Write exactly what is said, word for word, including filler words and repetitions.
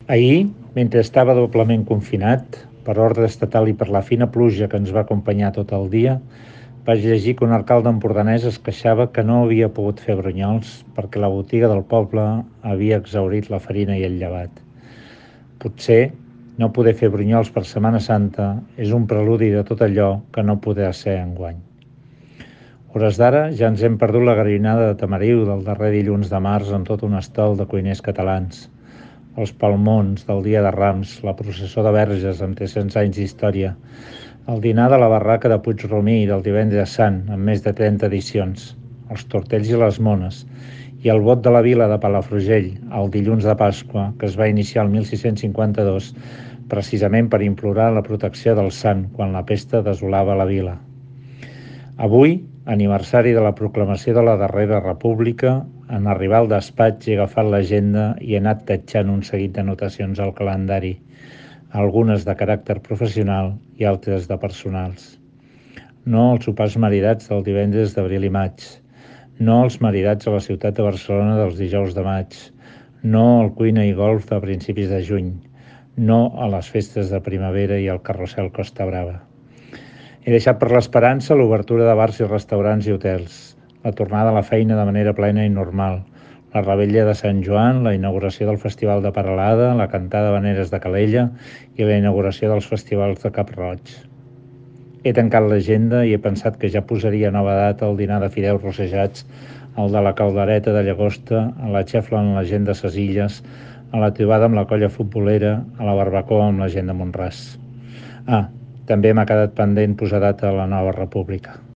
Ahir, mentre estava doblement confinat, per ordre estatal i per la fina pluja que ens va acompanyar tot el dia, vaig llegir que un alcalde empordanès es queixava que no havia pogut fer brunyols perquè la botiga del poble havia exhaurit la farina i el llevat. Potser no poder fer brunyols per Setmana Santa és un preludi de tot allò que no podrà ser enguany. Hores d'ara ja ens hem perdut la garbinada de Tamariu del darrer dilluns de març amb tot un estol de cuiners catalans, els palmons del Dia de Rams, la processó de Verges amb tres-cents anys d'història, el dinar de la barraca de Puigromí del Divendres Sant amb més de trenta edicions, els tortells i les mones, i el vot de la vila de Palafrugell, el dilluns de Pasqua, que es va iniciar el mil sis-cents cinquanta-dos, precisament per implorar la protecció del sant quan la pesta desolava la vila. Avui, aniversari de la proclamació de la darrera república, en arribar al despatx he agafat l'agenda i he anat tatxant un seguit d'anotacions al calendari, algunes de caràcter professional i altres de personals. No els sopars maridats del divendres d'abril i maig, no els maridats a la ciutat de Barcelona dels dijous de maig, no el cuina i golf de principis de juny, no a les festes de primavera i el carrusel Costa Brava. He deixat per l'esperança l'obertura de bars i restaurants i hotels, la tornada a la feina de manera plena i normal, la revetlla de Sant Joan, la inauguració del Festival de Peralada, la cantada d'habaneres de Calella i la inauguració dels festivals de Cap-roig. He tancat l'agenda i he pensat que ja posaria nova data al dinar de fideus rossejats, el de la caldereta de llagosta, a la xefla amb la gent de ses Illes, a la trobada amb la colla futbolera, a la barbacoa amb la gent de Mont-ras. Ah, també m'ha quedat pendent posar data a la nova república.